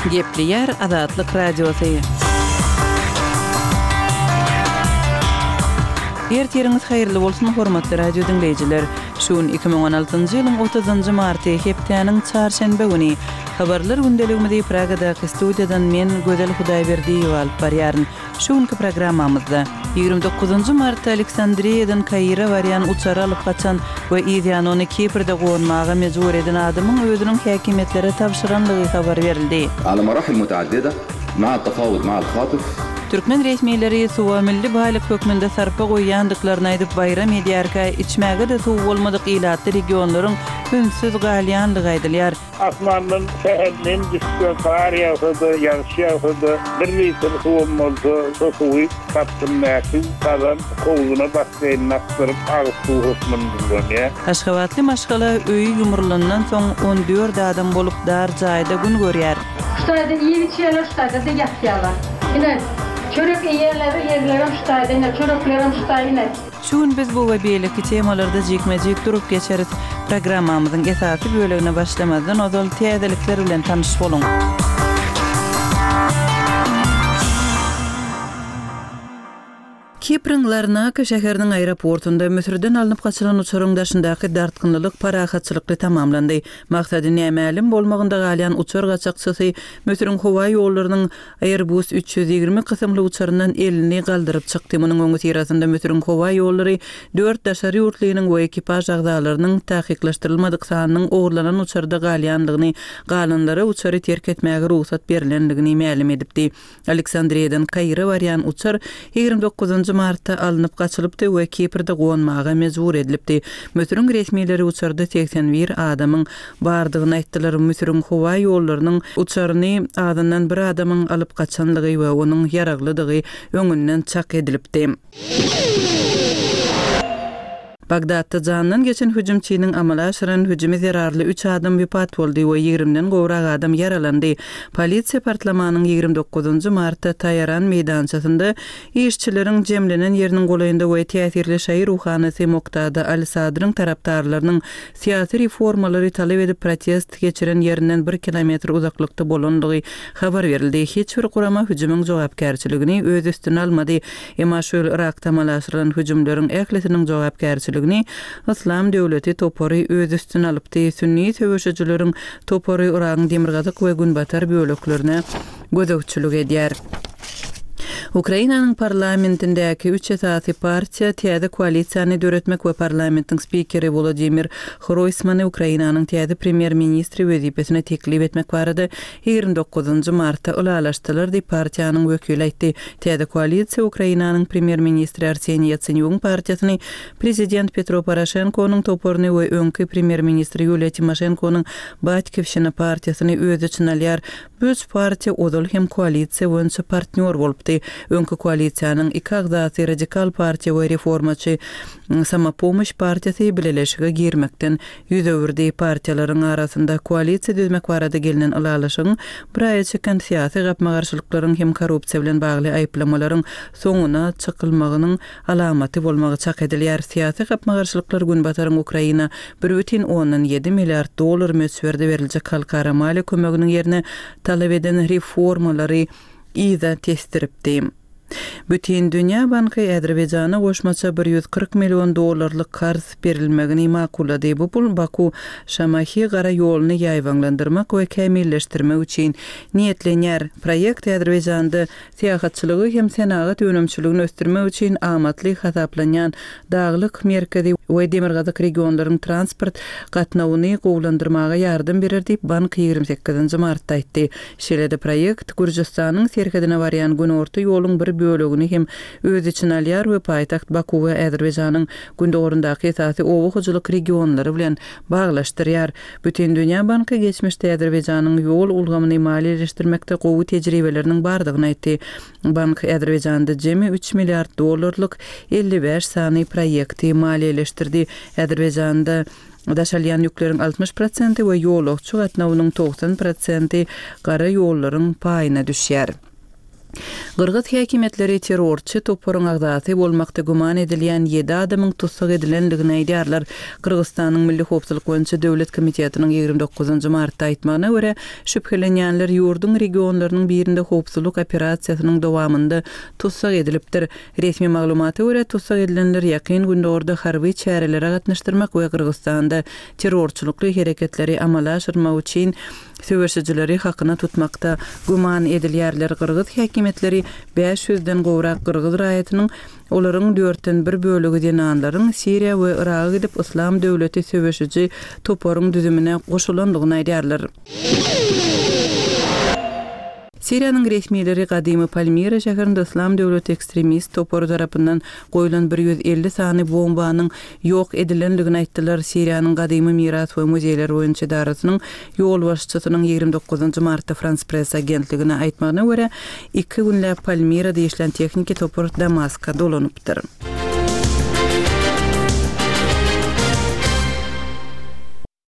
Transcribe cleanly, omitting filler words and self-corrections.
Gepleýär Azatlyk Radiosy. Ertiriňiz haýyrly bolsun, hormatly radio diňleýjiler! Şu gün 2016-njy ýylyň otuzynjy marty, hepdäniň çarşenbe güni. Habarlar gündeligimizi Pragadaky studiýadan men, Gözel Hudaýberdiýewa alyp barýaryn. Şu günki programmamyzda, 29-njy martda Aleksandriýadan Kaire barýan uçary alyp gaçan we yzýany ony Kiprde gonmaga mejbur eden adamyň özüniň häkimiýetlere tabşyranlygy habar berildi. Ala marahil mutaaddida maa tafawud maa al-hatif. Türkmen resmileri suwa milli baýlyk hökmünde sarpa goýýandyklaryny aýdyp baýram edýärkä, içmäge-de suwy bolmadyk ilatly regionlaryň ünsüz galýandygy aýdylýar. Asmandan sähel nem düşse, gar ýagsa-da, ýagyş ýagsa-da, bir litr suwam bolsa, şo suwy gapdymdaky gazan howzuna basseýnine akdyryp, agyz suwy hökmünde ulanýar. Aşgabatly maşgala öýi ýumrulandan soň 14 adam bolup dar jaýda gün görýär. Şu taýda iýip-içýärler, şu taýda-da ýatýarlar. Ine, çörek iýýärler, ýerlerem şu taýda, ine, çöreklerem şu taý, ine. Şu gün biz bu we beýleki temalarda jikme-jik durup geçeris. Programmamyzyň esasy bölegine başlamazdan ozal täzelikler bilen tanyş boluň. Kipriň Larnaka şäheriniň aeroportunda Müsürden alnyp gaçylan uçaryň daşyndaky dartgynlylyk parahatçylykly tamamlandy. Maksady nämälim bolmagynda galýan uçar gaçakçysy Müsüriň howa ýollarynyň Airbus 320 kysymly uçaryndan elini galdyryp çykdy. Munuň öňüsyrasynda Müsüriň howa ýollary dört daşary ýurtlynyň we ekipaž agzalarynyň takyklaşdyrylmadyk sanynyň ogurlanan uçarda galýandygyny, galanlara uçary terk etmäge rugsat berlendigini mälim edipdi. Aleksandriýadan Kaire barýan uçar 29 martda alnyp gaçylypdy we Kiprde gonmaga mejbur edilipdi. Müsüriň resmileri uçarda 81 adamyň bardygyny aýtdylar. Müsüriň howa ýollarynyň uçaryny azyndan bir adamyň alyp gaçanlygy we onuň ýaraglydygy öňünden çak edilipdi. Bagdatda janyndan geçen hüjümçiniň amala aşyran hüjümi zerarly üç adam wepat boldy we ýigrimden gowrak adam ýaralandy. Polisiýa partlamanyň 29 martda Taýaran meýdançasynda işçileriň jemlenen ýeriniň golaýynda we täsirli şaýy ruhanysy Moktada al-Sadryň tarapdarlarynyň syýasy reformalary talap edip protest geçiren ýerinden bir kilometr uzaklykda bolandygy habar berildi. Hiç bir gurama hüjümiň jogapkärçiligini öz üstüne almady. Emma şu ýyl Yrakda amala aşyrylan hüjümleriň ählisiniň jogapkärçiligini Yslam döwleti topary öz üstüne alypdy. Sünni söweşijileriň topary Yragyň demirgazyk we günbatar böleklerine gözegçilik edýär. Ukrainanyň parlamentindäki üç esasy partiýa täze koalisiýany döretmek we parlamentiň spikeri Wolodymyr Hroýsmany Ukrainanyň täze premýer-ministri wezipesine teklip etmek barada 29 martda ylalaşdylar diýip, partiýanyň wekili aýtdy. Täze koalisiýa Ukrainanyň premýer-ministri Arseniý Ýatsenýugyň partiýasyny, prezident Petro Poroşenkonyň toparyny we öňki premýer-ministr Ýuliýa Timoşenkonyň Batkiwşina partiýasyny öz içine alýar. Bu üç partiýa ozal hem koalisiýa boýunça partnýor bolupdy. Öňki koalisiýanyň iki agzasy Radikal partiýa we reformaçy Samopomoş partiýasy bileleşige girmekden ýüz öwürdi. Partiýalaryň arasynda koalisiýa düzmek barada gelnen ylalaşygyň bir aýa çeken syýasy gapma-garşylyklaryň hem korrupsiýa bilen bagly aýyplamalaryň soňuna çykylmagynyň alamaty bolmagy çak edilýär. Syýasy gapma-garşylyklar Günbataryň Ukraina 1,7 milliard dollar möçberde beriljek halkara maliýe kömeginiň ýerine talap eden reformalary yza tesdiripdi. Bütindünýä banky Azerbaýjana goşmaça 140 million dollarlyk karz berilmegini makullady. Bu pul Baku, Şamahi gara ýoluny ýaýbaňlandyrmak we kämilleşdirmek üçin niýetlenýär. Proýekt Azerbaýjanda Syýahatçylygy hem senagat önümçiligini ösdürmek üçin amatly hasaplanýan daglyk merkezi we demirgazyk regionlaryň transport gatnawyny gowulandyrmaga ýardam berer diýip, bank 28 martda aýtdy. Şeýle-de proýekt Gürjüstanyň serhedine barýan günorta ýoluň bir bölegini hem öz içine alýar we paýtagt Bakuwy Azerbaýjanyň gündogaryndaky esasy oba hojalyk regionlary bilen baglaşdyrýar. Bütindünýä banky geçmişde Azerbaýjanyň ýol ulgamyny maliýeleşdirmekde gowy tejribeleriniň bardygyny aýtdy. Bank Azerbaýjanda jemi üç milliard dollarlyk 55 sany proýekti maliýeleşdirdi. Azerbaýjanda daşalýan ýükleriň 60 prosenti we ýolagçy gatnawynyň 90 prosenti gara ýollaryň paýyna düşýär. Gyrgyz häkimiýetleri terrorçy toparyň agzasy bolmakda güman edilýän ýedi adamyň tussag edilendigini aýdýarlar. Gyrgyzystanyň Milli howpsuzlyk boýunça döwlet komitetiniň 29 martda aýtmagyna görä, şübhelenýänler ýurduň regionlarynyň birinde howpsuzlyk operasiýasynyň dowamynda tussag edilipdir. Resmi maglumata görä, tussag edilenler Ýakyn Gündogarda harby çärelere gatnaşdyrmak we Gyrgyzystanda terrorçylykly hereketleri amala aşyrmak üçin Söweşijileri hakyna tutmakda güman edilýärler. Gyrgyz häkimiýetleri bäş ýüzden gowrak gyrgyz raýatynyň, olaryň dörtden bir bölegi zenanlaryň Siriýa we Yraga gidip Yslam döwleti söweşiji toparyň düzümine goşulandygyny aýdýarlar. Siriýanyň resmileri gadymy Palmira şäherinde Yslam döwleti ekstremist topary tarapyndan goýlan 150 sany bombanyň ýok edilendigini aýtdylar. Siriýanyň gadymy miras we muzeýler boýunça edarasynyň ýolbaşçysynyň 29 martda Frans Press agentligine aýtmagyna görä, iki günläp Palmirada işlän tehniki topar Damaska dolanypdyr.